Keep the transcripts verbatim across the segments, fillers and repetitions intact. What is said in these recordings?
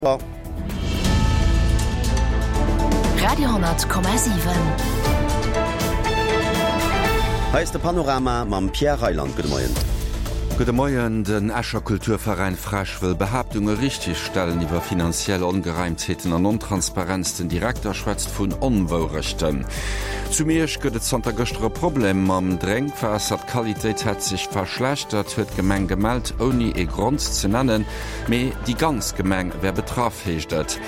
Radio hundert Komma siwen. Hei ass de Panorama mam Pierre Reyland. Gudde Moien. Gudde Moien. Den Escher Kulturveräin FrEsch wëll Behaaptunge richtegstellen iwwer finanziell Ongereimtheeten an Ontransparenz. Den Direkter schwätzt vun Onwourechten. Zu Miersch gëtt et zanter gëschter e Problem mam Drénkwaasser. D'Qualitéit hätt sech verschlechtert, huet d'Gemeng gemellt, ouni ee Grond ze nennen. Mee déi ganz Gemeng wär betraff, heescht et.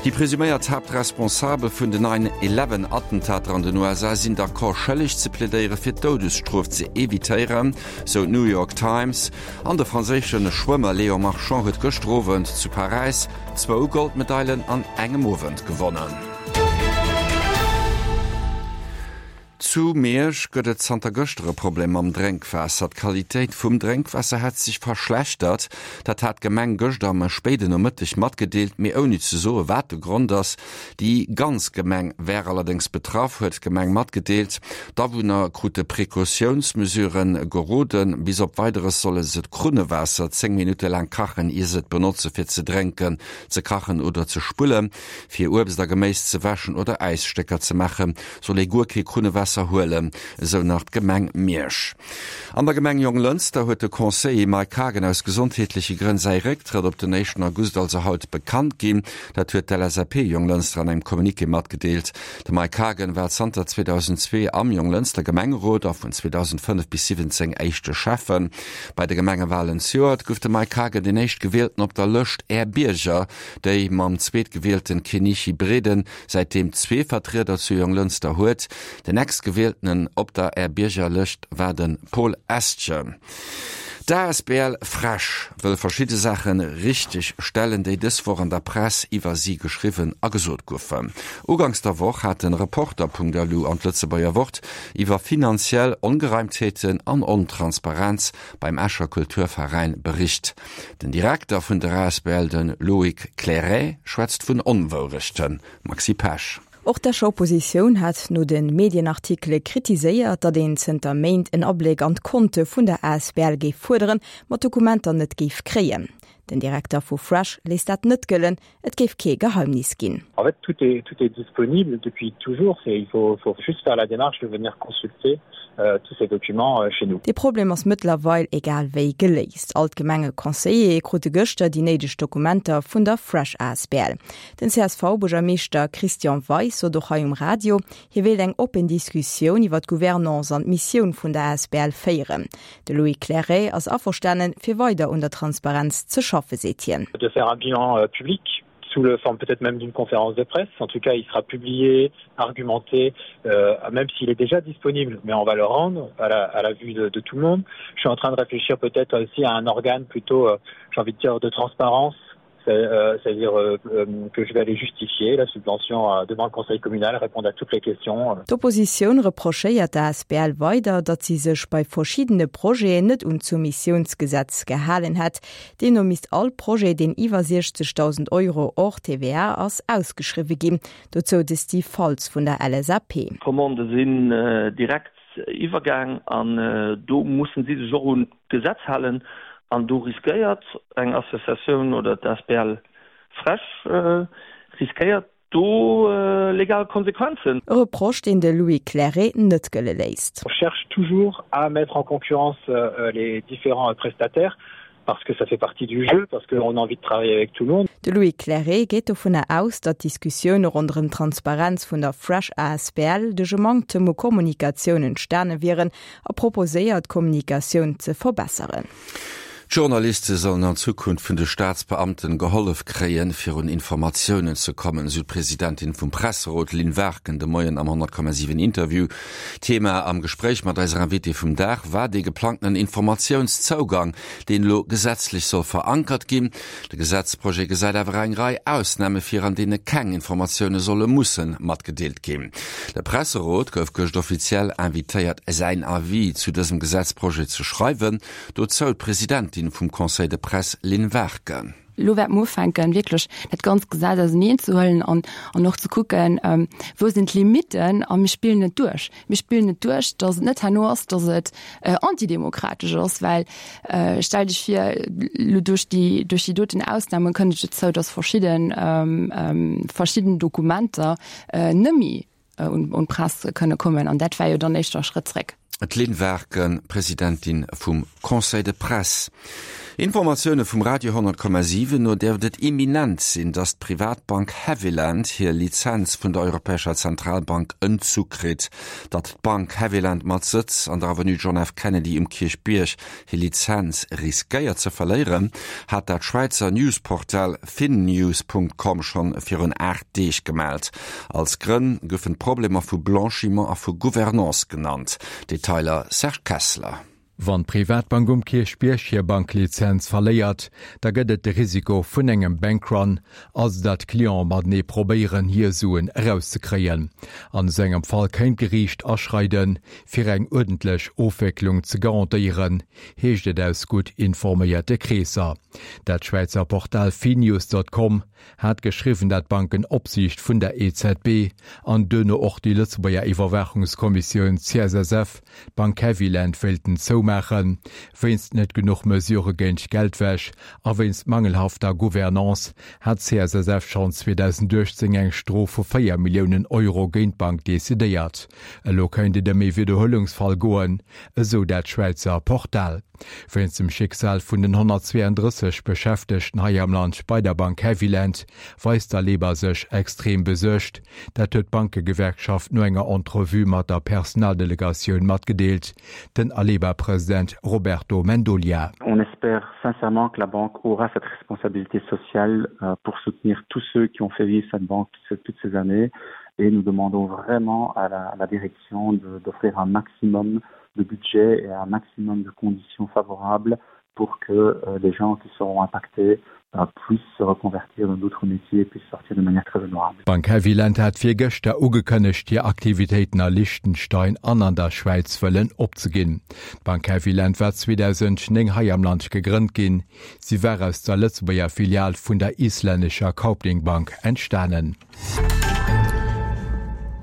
Déi presuméiert Haaptresponsabel vun den Nine Eleven Attentater an den U S A sinn d'accord, schëlleg ze plädéiere fir d'Doudesstrof ze evitéieren, sou d'New York Times. An de franséische Schwëmmer Léon Marchand huet gëschter Owend zu Paräis zwou Goldmedailen an engem Owend gewonnen. Zu Miersch gëtt et zanter gëschter e Problem mam Drénkwaasser. D'Qualitéit vum Drénkwaasser hätt sech verschlechtert. Dat hat d'Gemeng gëschter am spéiden Nomëtteg matgedeelt, mee ouni ze soe wat de Grond ass. Déi ganz Gemeng wär allerdéngs betraff, huet d'Gemeng matgedeelt. D'Awunner krute Precautiounsmesurë geroden. Bis op Weideres solle se d'Krunnewaasser zéng Minutte laang kachen, ier se et benotze fir ze drénken, ze kachen oder ze spullen. Fir Uebst a Geméis ze wäschen oder Äisstécker ze maachen, soll ee guer kee Krunnewaasser huelen, esou nach d'Gemeng Miersch. An der Gemeng Jonglënster huet de Conseiller Mike Haagen aus gesondheetleche Grënn säi Récktrëtt op den éischten August, also haut, bekannt ginn. Dat huet d'L S A P Jonglënster an engem Communiqué matgedeelt. De Mike Haagen war zanter zweedausendzwee am Jonglënster Gemengerot a vun zweedausendfënnef bis siwwenzéng éischte Schäffen. Bei de Gemengewalen zejoert gouf de Mike Haagen den Éischtgewielten op der Lëscht Är Bierger, déi mam Zweetgewielten Kenichi Breden säitdeem zwee Vertrieder zu Jonglënster huet. Den Nächstgewieltenen op der Är Bierger-Lëscht war de Paul Estgen. D'A S B L FrEsch wëll verschidde Saache richteg stellen, déi dës Woch an der Press iwwer si geschriwwen a gesot goufen. Uganks der Woch hat de Reporter Punkt L U an d'Lëtzebuerger Wort iwwer finanziell Ongereimtheeten an Ontransparenz beim Escher Kulturveräin bericht. Den Direkter vun der A S B L, de Loïc Clairet, schwätzt vun Onwourechten. Maxi Pesch. Och d'Escher Oppositioun hat no de Medienartikele kritiséiert, datt een zënter Méint en Abléck an d'Konte vun der A S B L géif fuerderen, ma Dokumenter net géif kréien. Den Direkter vu FrEsch léisst dat net gëllen, et géif kee Geheimnis ginn. En fait, tout est, tout est disponible depuis toujours et il faut, faut juste faire la démarche de venir consulter euh, tous ces documents euh, chez nous. De Problem ass mëttlerweil egal wéi geléist. All d'Gemengeconseillere krute gëschter déi néideg Dokumenter vun der FrEsch A S B L. Den C S V-Buergermeeschter Christian Weis sot och hei um Radio, hie wéilt eng oppen Diskussioun iwwer d'Gouvernance an d'Missioun vun der A S B L féieren. De Loïc Clairet ass averstanen, fir weider un der Transparenz ze schaffe, seet hien. De faire un bilan euh, public sous la forme peut-être même d'une conférence de presse. En tout cas, il sera publié, argumenté, euh, même s'il est déjà disponible, mais on va le rendre à la, à la vue de, de tout le monde. Je suis en train de réfléchir peut-être aussi à un organe plutôt, euh, j'ai envie de dire, de transparence, euh, c'est-à-dire euh, euh, que je vais aller justifier la subvention euh, devant le conseil communal, répondre à toutes les questions. D'Oppositioun reprochéiert der A S B L weider, datt si sech bei verschiddene Projeten net un d'Soumissiounsgesetz gehalen hätt. Deemno misst all Projet, deen iwwer siechzegdausend Euro hors T V A ass, ausgeschriwwe ginn. Dozou de Steve Faltz vun der L S A P. D'Commandë sinn äh, direkt iwwergaang an äh, do mussen si sech och un d'Gesetz halen an do riskéiert eng Associatioun oder d'A S B L FrEsch äh, riskéiert do äh, legal Konsequenzen. E Reproche, deen de Loïc Clairet net gëlle léisst. On cherche toujours à mettre en concurrence euh, les différents prestataires parce que ça fait partie du jeu, parce qu'on a envie de travailler avec tout le monde. De Loïc Clairet geet dovunner aus, datt d'Diskussioune ronderëm d'Transparenz vun der FrEsch A S B L duerch e Manktem u Kommunikatioun entstane wieren a proposéiert, d'Kommunikatioun ze verbesseren. Journaliste sollen an Zukunft vun de Staatsbeamten gehollef kréien, fir un Informatiounen ze kommen, sou d'Presidentin vum Presserot Lynn Warken de Moien am honnert Komma siwen Interview. Thema am Gespréich mat eiser Invitée vum Dag war de geplangten Informatiounszougang, deen elo gesetzlech soll verankert ginn. De Gesetzprojet gesäit awer eng Rei Ausname vir, an deene keng Informatioune solle musse matgedeelt ginn. De Presserot gouf gëscht offiziell invitéiert, säin Avis zu dësem Gesetzprojet ze schreiwen, dozou d'Presidentin vum Conseil de Presse Lynn Warken. Elo wäerte mer ufänken, wierklech dat ganzt Gesetz auserneenzëhuelen an, an och ze kucken, wou sinn d'Limitten a mir spillen et duerch. Mir spillen et duerch, dass et net herno ass, dass et antidemokratesch ass, well stell dech vir, elo duerch déi, duerch déi doten Ausnamen kënnt et dozou, dass verschidden, verschidden Dokumenter net méi un d'Press kënne kommen an dat wär jo dann éischter e Schrëtt zréck. D'Lynn Warken, Presidentin vum Conseil de Presse. Informatioune vum Radio honnert Komma siwen no däerft et imminent sinn, datt d'Privatbank Haviland hir Lizenz vun der Europäescher Zentralbank entzu kritt. Datt d'Bank Haviland mat Sëtz an der Avenue John F. Kennedy um Kierchbierg hir Lizenz riskéiert ze verléieren, hat dat Schwäizer Newsportal finnews Punkt com schonn virun aacht Deeg gemellt. Als Grënn goufen d'Problemer vu Blanchiment a vu Gouvernance genannt. Detailer Serge Kessler. Wann d'Privatbank um Kierchbierg hir Banklizenz verléiert, da gëtt et de Risiko vun engem Bankrun, also datt Cliente matenee probéieren, hir Suen erauszekréien. An esou engem Fall kéint d'Geriicht aschreiden, fir eng uerdentlech Ofwécklung ze garantéieren, heescht et aus gutt informéierte Kreesser. Dat Schwäizer Portal Finews dot com hat geschriwwen, dat d'Bankenopsiicht vun der E Z B an duerno och déi Lëtzebuerger Iwwerwaachungskommissioun C S S F d'Bank Haviland wéilten zoumaachen, wéinst net genuch Mesurë géint Geldwäsch a wéinst mangelhafter Gouvernance hat d'C S S F schonn zweedausenduechtzéng eng Strof vu véier Milliounen Euro géint d'Bank decidéiert. Elo kéint et ëm ee Widderhuelungsfall goen, esou dat Schwäizer Portal. Wéinst dem Schicksal vun den honnertzweeëndrësseg Beschäftegten hei am Land bei der Bank Haviland weist d'Aleba sech extrem besuergt. Dat huet d'Bankegewerkschaft no enger Entrevue mat der Personaldelegatioun matgedeelt. Den Aleba-President Roberto Mendolia. On espère sincèrement que la banque aura cette responsabilité sociale pour soutenir tous ceux qui ont fait vivre cette banque toutes ces années et nous demandons vraiment à la, à la direction d'offrir un maximum de budget et un maximum de conditions favorables pour que euh, les gens qui seront impactés euh, puissent se reconvertir dans d'autres métiers et puissent sortir de manière très honorable. D'Bank Haviland hat virgëschter ugekënnegt, hir Aktivitéiten a Liechtenstein an an der Schwäiz wëllen opzeginn. D'Bank Haviland war zweedausendnéng hei am Land gegrënnt ginn. Si war aus der Lëtzebuerger Filial vun der islännescher Kaupthing Bank entstanen.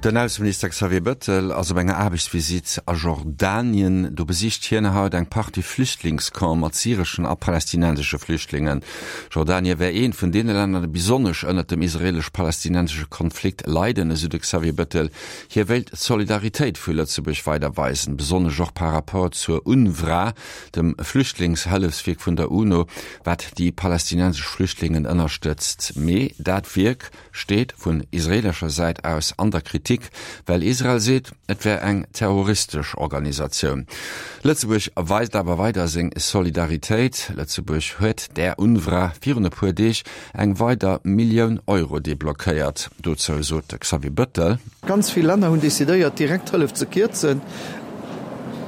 Den Ausseminister Xavier Bettel ass op enger Aarbechtsvisitt a Jordanien. Do besicht hien haut eng Partie Flüchtlingscampe mat syreschen a palästinensesche Flüchtlingen. Jordanie wär eent vun deene Länner, déi besonnesch ënnert dem israelesch-palästinensesche Konflikt leiden, esou de Xavier Bettel. Hie wéilt d'Solidaritéit vu Lëtzebuerg weider weisen, besonnesch och par rapport zur UNRWA, dem Flüchtlingshëllefswierk vun der UNO, wat déi palästinensesch Flüchtlingen ënnerstëtzt. Mee dat Wierk steet vun israelescher Säit aus an der Kritik, well Israel seet, et wär eng terroristesch Organisatioun. Lëtzebuerg weist awer weider seng Solidaritéit. Lëtzebuerg huet der UNRWA virun e puer Deeg eng weider Millioun Euro deblockéiert. Dozou sot de Xavier Bettel. Ganz vill Länner hunn decidéiert, direkt Hëllef ze kierzen,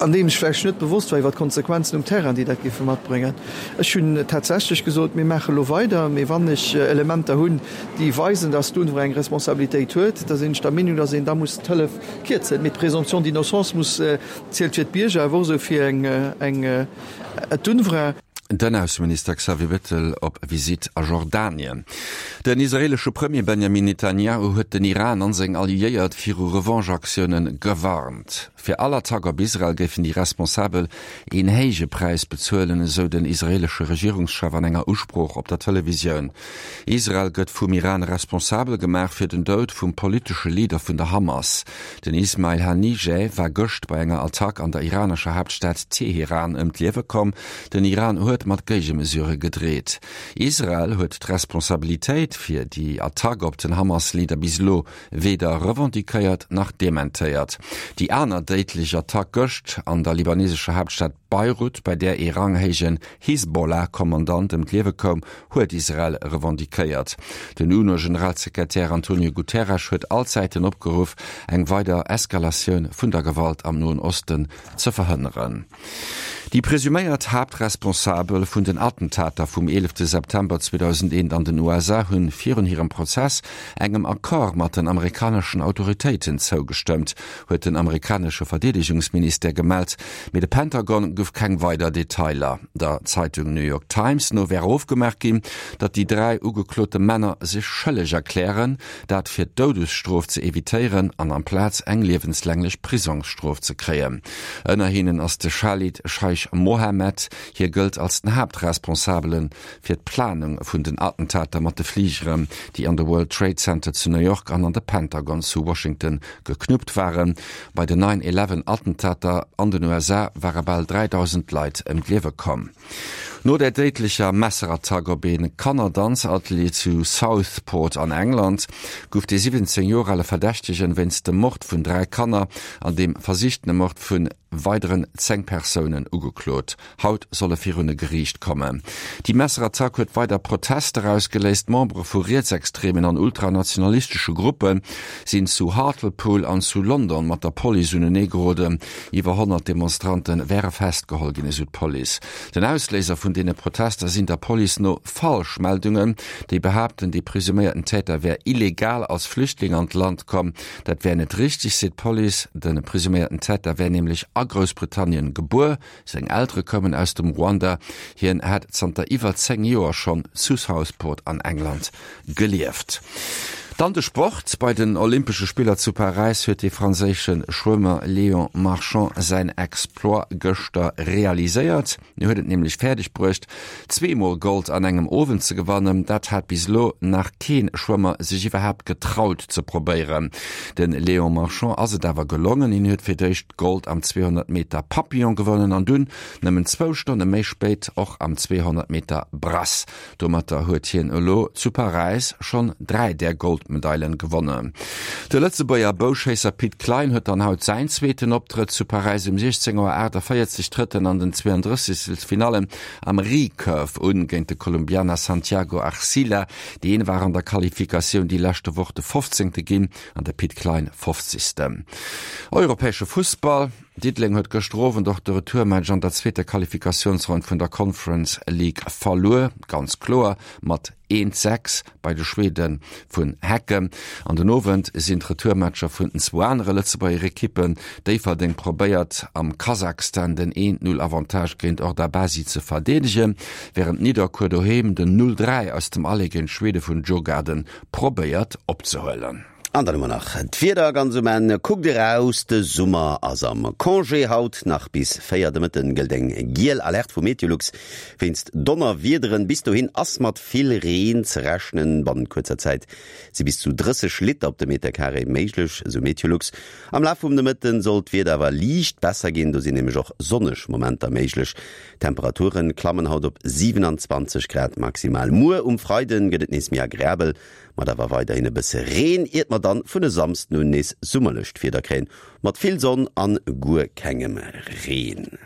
an deem sech vläicht net bewosst war iwwer d'Konsequenzen um Terrain, déi dat géife matbréngen. Ech hunn tatsächlech gesot, mir maache elo weider, mee wann ech Elementer hunn, déi weisen, dass d'UNRWA eng Responsabilitéit huet, da sinn ech der Meenung, dass een da muss d'Hëllef kierzen. Mee d'Présomption d'innocence muss, zielt fir d'Bierger, awer och esou fir eng, eng, d'UNRWA. Den Ausseminister Xavier Bettel op Visitt a Jordanien. Den israeelesche Premier Benjamin Netanjahu huet den Iran an seng Alliéiert viru Revanche-Aktioune gewarnt. Fir all Attack op Israel géifen déi Responsabel een héije Präis bezuelen, esou den israeelesche Regierungschef an enger Usprooch op der Televisioun. Israel gëtt vum Iran responsabel gemaach fir den Doud vum politesche Leader vun der Hamas. Den Ismail Hanijeh war gëscht bei enger Attack an der iranescher Haaptstad Teheran ëm d'Liewe komm. Den Iran huet mat Géigemesurë gedreet. Israel huet d'Responsabilitéit fir déi Attack op den Hamas-Leader bis elo weder revendiquéiert nach dementéiert. Déi aner déidlech Attack gëscht an der libanesescher Haaptstad Beirut, bei där ee ranghéijen Hisbollah-Kommandant ëm d'Liewe koum, huet Israel revendiquéiert. Den UNO-Generalsekretär Antonio Guterres huet all Säiten opgeruff, eng weider Eskalatioun vun der Gewalt am Noen Osten ze verhënneren. Déi presuméiert Haaptresponsabel vun den Attentater vum eelefte September zweedausendeent an den U S A hunn virun hirem Prozess engem Accord mat den amerikaneschen Autoritéiten zougestëmmt, huet den amerikanesche Verdeedegungsministère gemellt. Mee de Pentagon gouf keng weider Detailer. Der Zeitung New York Times no wär ofgemaach ginn, datt déi dräi ugeklote Männer sech schëlleg erklären, dat fir d'Doudesstrof ze evitéieren an amplaz eng liewenslänglech Prisongsstrof ze kréien. Ënner hinnen ass de Chalid Scheich Mohammed. Hie gëllt als den Haaptresponsabele fir d'Planung vun den Attentater mat de Fligeren, déi an de World Trade Center zu New York an an de Pentagon zu Washington geknuppt waren. Bei den nine eleven Attentater an den U S A ware bal dräidausend Leit ëm d'Liewe komm. No der déidlecher Messerattack op ee Kannerdanzatelier zu Southport an England gouf de siwwenzéng Joer ale Verdächtegen wéinst dem Mord vun dräi Kanner an dem versichtene Mord vun weideren zéng Persounen ugeklot. Haut soll e virun e Geriicht kommen. Déi Messerattack huet weider Protester ausgeléist. Membere vu rietsextremen an ultranationalistesche Gruppe sinn zu Hartlepool an zu London mat der Police unenee geroden. Iwwer honnert Demonstrante wäre festgeholl ginn, esou d'Police. Den Ausléiser vun deene Protester sinn der Police no Falschmeldungen, déi behaapten, déi presuméierten Täter wär illegal als Flüchtling an d'Land komm. Dat wär net richtig, seet d'Police. Den presuméierten Täter wär nämlech a Groussbritannien gebuer. Seng Eltere kommen aus dem Ruanda. Hien hat zanter iwwer zéng Joer schonn zu Southport an England gelieft. Dann de Sport. Bei den Olympesche Spiller zu Paräis huet de franséische Schwëmmer Léon Marchand säin Exploit gëschter realiséiert. Hien huet et nämlech fäerdeg bruecht, zweemol Gold an engem Owend ze gewannen. Dat hat bis elo nach keen Schwëmmer sech iwwerhaapt getraut ze probéieren. Den Léon Marchand ass et awer gelongen. Hien huet fir d'éischt Gold am zweehonnert Meter Papillon gewonnen an dunn nëmmen zwou Stonne méi spéit och am zweehonnert Meter Brass. Domatter huet hien elo zu Paräis schonn dräi där Goldmedailen gewonnen. De Lëtzebuerger Bouschéisser Pit Klein huet dann haut säin zweeten Optrëtt zu Paräis um siechzéng Auer aachtavéierzeg trëtt en an den zweiunddrëssegstelsfinallen am Recurve un géint de Kolumbianer Santiago Arcila. Deen war an der Qualifikatioun déi leschte Woch de fofzéngte ginn an de Pit Klein fofzegsten. Europäesche Fussball. Diddeleng huet gëschter Owend och de Retourmatch an der zweeter Qualifikatiounsronn vun der Conference League verluer, ganz kloer mat eent sechs bei de Schwede vun Häcken. An den Owend sinn d'Retourmatcher vun den zwou anere Lëtzebuerger Ekippen. Déifferdeng probéiert am Kasachstan den eent null Avantage géint Ordabasi ze verdeedegen, während Nidderkuer doheem den null dräi aus dem Aller géint Schwede vun Djurgården probéiert opzehuelen. An dann hu mer nach d'Wieder ganz um Enn. Kuckt eraus, de Summer ass am Congé. Haut nach bis véier de Mëtten gëllt eng giel Alerte vu Meteolux wéinst Donnerwiederen. Bis dohin ass mat vill Reen ze rechnen. Bannent kuerzer Zäit si bis zu drësseg Liter op de Meterkaree méiglech, esou Meteolux. Am Laf vum Nomëtten soll d'Wieder awer liicht besser ginn. Do sinn nämlech och sonneg Momenter méiglech. Temperaturen klammen haut op siewenundzwanzeg Grad maximal. Muer um Freiden gëtt et nees méi agreabel, mat awer weiderhin e bësse Reen, iert mer dann vun e Samsden un nees summerlecht Wieder kréien, mat vill Sonn an guer kengem Reen.